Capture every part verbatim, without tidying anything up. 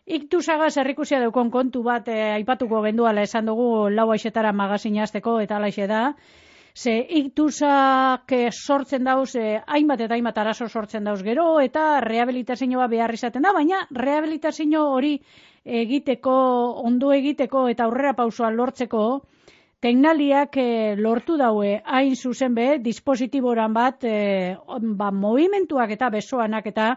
iktusagaz errikusia daukon kontu bat eh, aipatuko genduala esan dugu lau aixetara magazina hasteko eta alaixe da. Ze iktusak eh, sortzen dauz, eh, hainbat eta hainbat arazo sortzen dauz gero, eta rehabilitazioa behar izaten da, baina rehabilitazio hori egiteko, ondo egiteko eta aurrera pausua lortzeko, teknaliak eh, lortu daue hain zuzen be, dispositiboran bat, eh, ba, movimentuak eta besoanak eta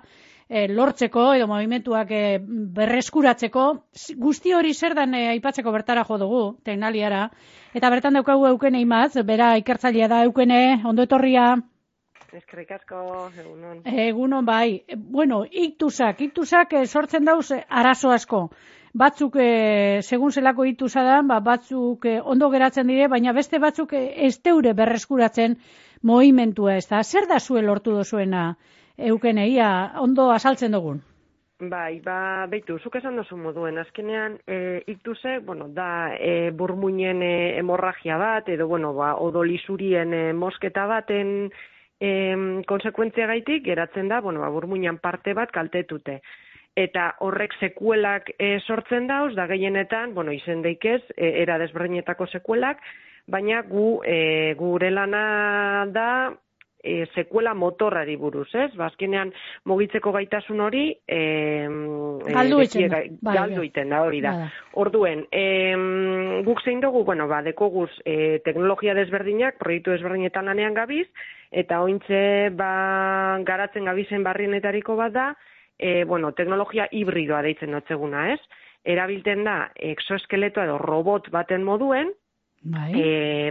eh, lortzeko, edo movimentuak eh, berreskuratzeko, guzti hori zer dan eh, aipatzeko bertara jo dugu, teknaliara, eta bertan daukagu Eukene Imaz, bera ikertzailea da Eukene, ondo etorria. Eskerrik asko, egunon. Egunon bai. Bueno, iktusak, iktusak eh, sortzen dauz eh, arazo asko. Batzuk, eh, segun zelako iktusa da, ba, batzuk eh, ondo geratzen dire, baina beste batzuk eh, ez deure berreskuratzen movimentua ez da. Zer da zuen lortu dozuena, Eukene, ia, ondo azaltzen dugun? Bai, ba, beitu, zuk esan dozu moduen, azkenean e, iktusek, bueno, da e, burmuinen e, hemorragia bat, edo, bueno, ba, odolisuurien e, mosketa baten e, konsekuentzia gaitik, geratzen da, bueno, ba, burmuinan parte bat kaltetute. Eta horrek sekuelak e, sortzen dauz, da gehienetan, bueno, izen daikez, e, era desberdinetako sekuelak, baina gu, e, gure lana da, E, sekuela motorrari buruz, ez? Bazkenean mugitzeko gaitasun hori e, galdu iten da. Galdu iten da, hori da. Orduen, e, guk zein dugu, bueno, ba, dekoguz e, teknologia desberdinak, proiektu desberdinetan lanean gabiz, eta ointze ba, garatzen gabizen barrienetariko bat da, e, bueno, teknologia hibridoa deitzen dotzeguna, ez? Erabilten da, exoeskeletoa edo robot baten moduen, Bai. E,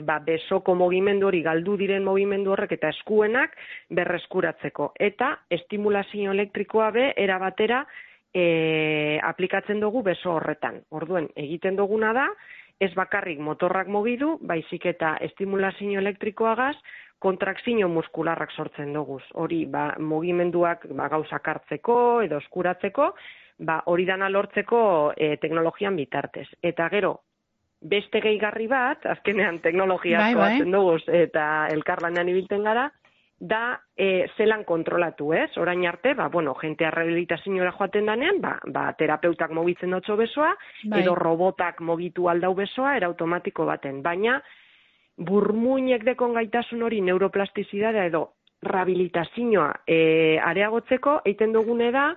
ba, besoko mugimendu hori, galdu diren mugimendu horrek eta eskuenak berreskuratzeko. Eta estimulazio elektrikoa be, era batera e, aplikatzen dugu beso horretan. Orduen, egiten duguna da, ez bakarrik motorrak mugidu, baizik eta estimulazio elektrikoagaz, kontrakzio muskularrak sortzen duguz. Hori, ba, mugimenduak ba, gauzak hartzeko edo eskuratzeko, ba, hori dana lortzeko e, teknologian bitartez. Eta gero, beste gehigarri bat, azkenean teknologia asko bai, batzen duguz eta elkarlanean ibilten gara, da e, zelan kontrolatu, ez? Orain arte, ba, bueno, jentea rehabilitazioa joaten danean, ba, ba, terapeutak mugitzen dutxo besoa, bai. Edo robotak mugitu aldau besoa, era automatiko baten. Baina, burmuinek dekon gaitasun hori neuroplastizidadea edo rehabilitazioa e, areagotzeko, eiten dugune da,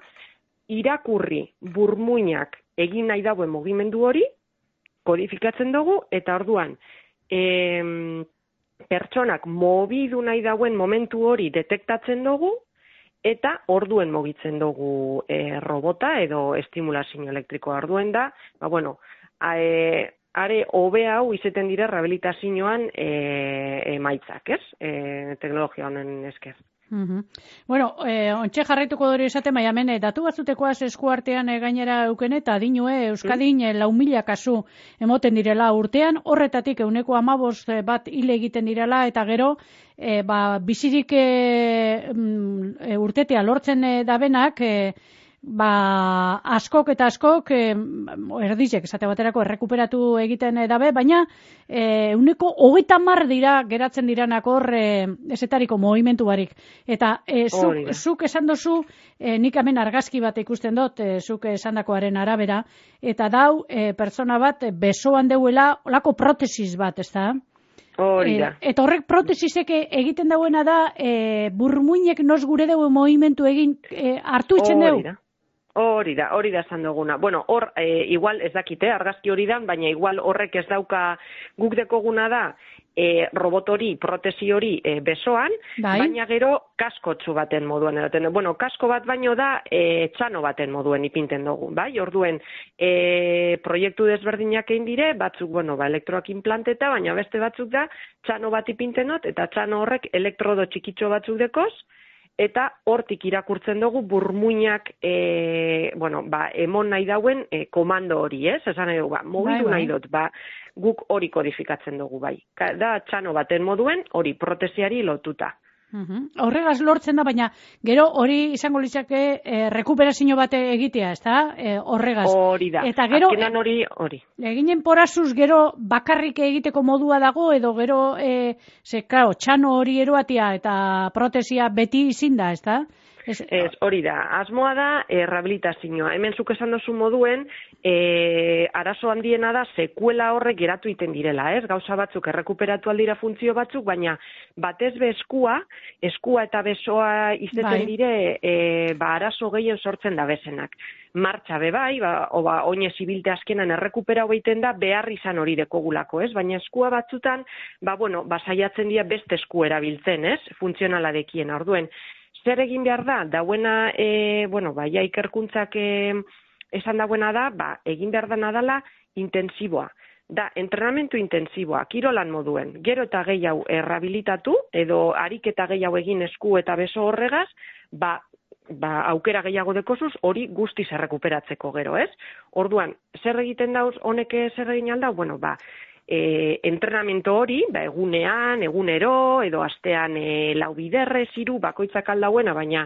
irakurri burmuinak egin nahi dauen mugimendu hori, kodifikatzen dugu, eta orduan, e, pertsonak mobidu nahi dauen momentu hori detektatzen dugu, eta orduen mugitzen dugu e, robota edo estimulazio elektrikoa. Orduen da, ba, bueno, e, are hobe hau izeten dira rehabilitazioan e, emaitzak, ez? E, teknologia honen esker. Uh-huh. Bueno, eh, ontxe jarraituko dori esaten, baina hemen, datu batzutekoaz eskuartean e, gainera Eukene, eta dinue, Euskadin, mm. lau mila kasu emoten direla urtean, horretatik euneko amabost bat hile egiten direla, eta gero, e, ba, bizirik e, e, urtetea lortzen e, dabenak, e, ba, askok eta askok e, erdizek, esate baterako errekuperatu egiten e, dabe, baina e, uneko hogeita hamar dira geratzen diranak hor e, esetariko movimentu barik. Eta e, zuk, oh, zuk esan dozu, e, nik hemen argazki bat ikusten dut, e, zuk esandakoaren arabera, eta dau e, pertsona bat besoan deuela olako protesis bat, ez da? Hori da. E, eta horrek protesisek egiten dauena da, e, burmuinek nos gure deu movimentu egin e, hartu itzen deu? Hori da, hori da esan duguna. Bueno, hor, e, igual ez dakite, argazki hori da, baina igual horrek ez dauka guk dekoguna da, e, robot hori, protesi hori e, besoan, bai. Baina gero kaskotsu baten moduan eroten. Bueno, kasko bat baino da e, txano baten moduen ipinten dugu, bai? Orduen, e, proiektu desberdinak egin dire, batzuk, bueno, ba, elektroak implanteta, baina beste batzuk da, txano bat ipinten dut, eta txano horrek elektrodo txikitxo batzuk dekoz, eta hortik irakurtzen dugu burmuinak e, bueno, ba, emon nahi dauen e, komando hori, ez? Esan nahi dugu, ba, mugitu nahi dut, ba, guk hori kodifikatzen dugu, bai. Da, txano baten moduen, hori protesiari lotuta. Uh-huh. Horregaz lortzen da, baina gero hori izango litzake e, rekuperazio bate egitea, ez da? E, horregaz. Hori da, eta gero, azkenan hori, hori. Eginen porazuz gero bakarrik egiteko modua dago, edo gero, e, ze, claro, txano hori eroatia eta protesia beti izin da, ez da? Ez, hori da, asmoa da e, rehabilitazioa. Hemen zuk esan dozu moduen, e, arazo handiena da sekuela horrek geratu iten direla, ez? Gauza batzuk errekuperatu aldira funtzio batzuk, baina batez be eskua, eskua eta besoa izeten bai. dire, e, ba, arazo gehien sortzen da bezenak. Martxa be bai, ba, oba, oinez ibilte azkenan errekupera hobeiten da, behar izan hori dekogulako, ez? Baina eskua batzutan, ba, bueno, ba, saiatzen dira beste esku erabiltzen, ez? Funtzionala dekien, orduen. Zer egin behar da? Dauena, e, bueno, ba, ja ikerkuntzak e, esan dauena da, ba, egin behar da nadala intensiboa. Da, entrenamentu intensiboa, kirolan moduen. Gero eta gehiago errabilitatu, edo ariketa gehiago egin esku eta beso horregaz, ba, ba, aukera gehiago dekozuz, hori guztiz errekuperatzeko gero, ez? Orduan, zer egiten dauz, honek zer egin aldau? Bueno, ba, E, entrenamiento hori, ba, egunean, egunero, edo astean e, lau biderrez, hiru bakoitzak aldauena, baina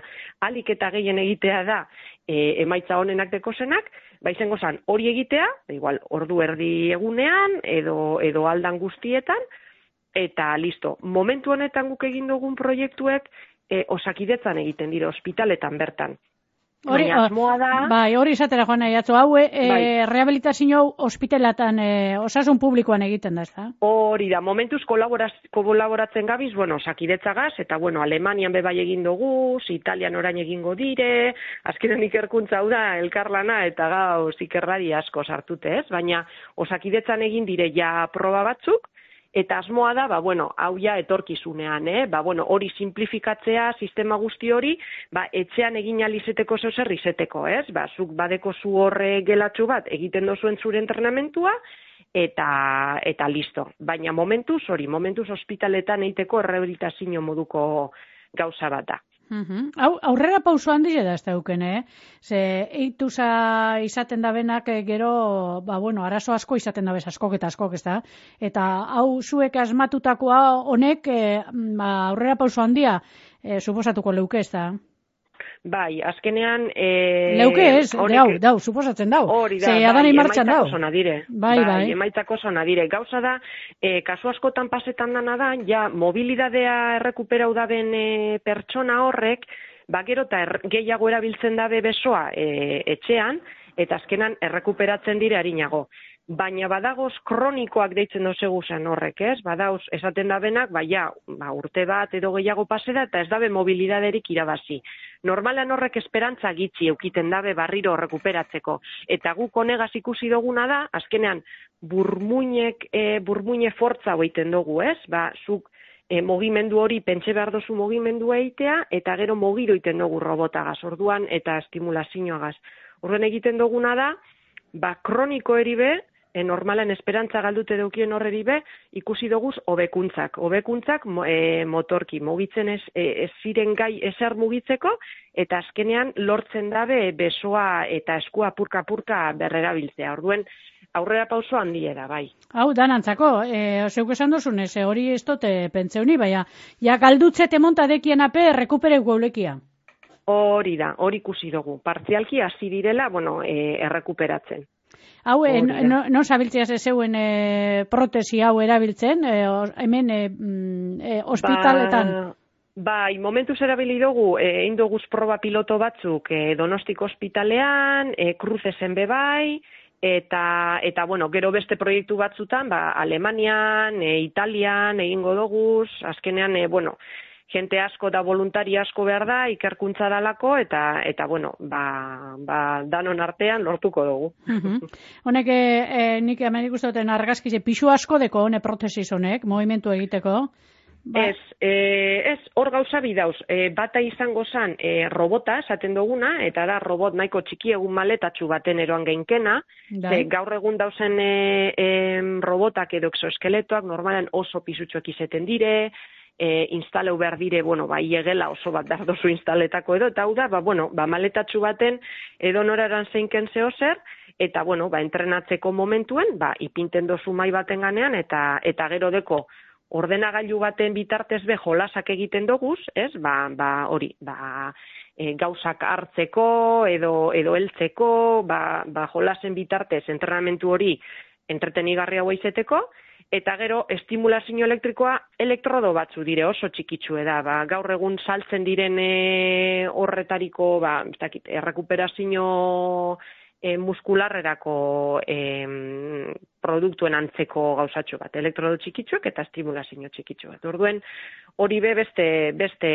alik eta gehien egitea da e, emaitza honenak dekozenak, ba izango zan hori egitea, igual ordu erdi egunean, edo, edo aldan guztietan, eta listo. Momentu honetan guk egin dugun proiektuek e, osakidetzan egiten dira, ospitaletan bertan. Hori, da... bai, hori izatera joan nahi atzo, hau, e, bai. rehabilitazio hospitalatan e, osasun publikoan egiten da, ez da? Hori da, momentuz kolaboratzen gabiz, bueno, osakidetzagaz, eta, bueno, Alemanian bebai egin dugu, Italian orain egingo dire, azkenen ikerkuntza hau da, elkarlana, eta gauz ikerrari asko sartute, ez? Baina, osakidetzan egin dire ja proba batzuk, eta asmoa da, ba, bueno, hau ja etorkizunean, eh? Ba, bueno, hori simplifikatzea, sistema guzti hori, ba, etxean egin alizeteko zozer izeteko, ez? Ba, zuk badeko zu horre gelatxu bat, egiten dozuen zure entrenamentua, eta, eta listo. Baina momentuz, hori, momentuz ospitaletan eiteko rehabilitazio moduko gauza bat da. Uhum. Hau, aurrera pauso handia da ez dauken, eh? Ze eituza izaten da benak gero, ba, bueno, arazo asko izaten da bez, askok eta askok, ez da? Eta hau zuek asmatutakoa honek, eh, ba, aurrera pauso handia, eh, suposatuko leuke, ez da? Bai, azkenean... E, leuke ez, honek, dau, dau, suposatzen dau. Hori da, bai, emaitzako dau. Zona dire. Bai, bai. bai. Emaitzako zona dire. Gauza da, e, kasu askotan pasetan dana da, ja, mobilidadea errekuperau daben e, pertsona horrek, ba, gero eta er, gehiago erabiltzen dabe besoa e, etxean, eta azkenan errekuperatzen dire harinago. Baina badagoz kronikoak deitzen dozegu zen horrek, ez? Badauz, esaten dabenak, baina ba, urte bat edo gehiago paseda eta ez dabe mobilidaderik irabazi. Normalan horrek esperantza gitxi eukiten dabe barriro rekuperatzeko. Eta guk honegaz ikusi duguna da, azkenean burmuinek, e, burmuine fortza hoiten dugu, ez? Ba, zuk e, mogimendu hori pentsa behar dozu mogimendu eitea, eta gero mogido iten dugu robotagaz, orduan, eta estimulazioagaz. Orduan egiten duguna da, ba, kroniko eribe, e, normalan esperantza galdute daukien horreri be, ikusi doguz hobekuntzak. Hobekuntzak e, motorki, mugitzen ez, e, ez ziren gai ezer mugitzeko, eta azkenean lortzen dabe besoa eta eskua purka-purka berrerabiltzea. Orduen, aurrera pauso handia da, bai. Hau, danantzako, e, zeuk esan dozunez, e, hori ez dote pentseuni, baina, ja galdutzete montadekien ape, rekupere guaulekia. Hori da, hori ikusi dugu. Partzialki hasi direla, bueno, e, errekuperatzen. Hau, e, no, no zabiltziaz zeuen e, protesi hau erabiltzen, e, hemen e, e, ospitaletan? Ba, bai, momentuz erabili dugu, e, egin duguz proba piloto batzuk e, Donostiko ospitalean, e, Kruzesen bebai, eta, eta, bueno, gero beste proiektu batzutan, ba, Alemanian, e, Italian, egingo duguz, azkenean, e, bueno, jente asko da voluntari asko behar da, ikerkuntza dalako, eta, eta bueno, ba, ba, danon artean lortuko dugu. Uh-huh. Honek, e, nik hemen ikustuten argazkize, pixu asko deko, hone protesis honek, movimentu egiteko? Ba. Ez, e, ez, hor gauza bidauz, e, bata izango zan e, robota, esaten duguna, eta da robot nahiko txiki egun maletatxu baten eroan geinkena, e, gaur egun dauzen e, e, robotak edo exoeskeletoak normalan oso pisutxoak izeten dire, E, instaleu behar dire, bueno, ba, iegela oso bat behar dozu instaletako edo, eta hau da, ba, bueno, ba, maletatxu baten edo noraran zeinken zeo zer, eta, bueno, ba, entrenatzeko momentuen, ba, ipinten dozu mai baten ganean, eta, eta gero deko ordenagailu baten bitartez be jolasak egiten doguz, ez, ba, ba, hori, ba, e, gauzak hartzeko, edo, edo heltzeko, ba, ba, jolasen bitartez entrenamentu hori entretenigarria hau izeteko, Eta gero, estimulazio elektrikoa elektrodo batzu dire oso txikitsue da. Ba, gaur egun saltzen diren e, horretariko, ba, ez dakit, errekuperazio e, muskularrerako e, produktuen antzeko gauzatxo bat. Elektrodo txikitsuak eta estimulazio txikitsu bat. Orduen, hori be beste, beste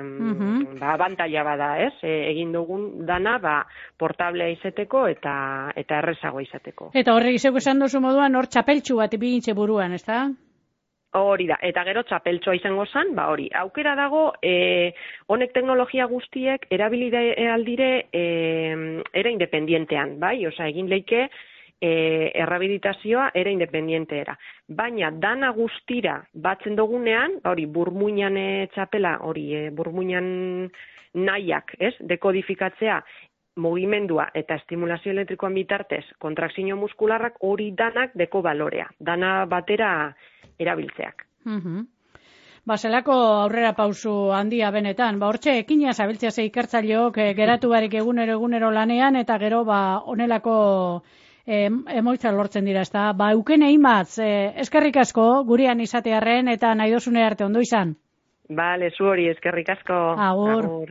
mm-hmm. ba, abantaila bada, ez? E, egin dugun dana, ba, portablea izeteko eta eta errezagoa izateko. Eta horrek izeko esan duzu moduan, hor txapeltxu bat ipinitxe buruan, ez da? Hori da, eta gero txapeltxoa izango zen, ba hori, aukera dago, e, honek teknologia guztiek erabilide aldire e, era independientean, bai? Osa, egin leike e, errabilitazioa era independienteera. Baina, dana guztira batzen dugunean, hori, burmuinan e, txapela, hori, e, burmuinan nahiak, ez? Dekodifikatzea, mugimendua eta estimulazio elektrikoan bitartez, kontrakzio muskularrak hori danak deko balorea. Dana batera erabiltzeak. Uh-huh. Ba, zelako aurrera pausu handia benetan. Ba, hortxe, ekina zabiltzea ze ikertzaileok e, geratu barik egunero egunero lanean, eta gero, ba, onelako e, emoitza lortzen dira, ezta? Ba, eukene imatz, e, eskerrik asko, gurean izatearren, eta nahi dozune arte ondo izan. Bale, zu hori, eskerrik asko. Agur. Agur.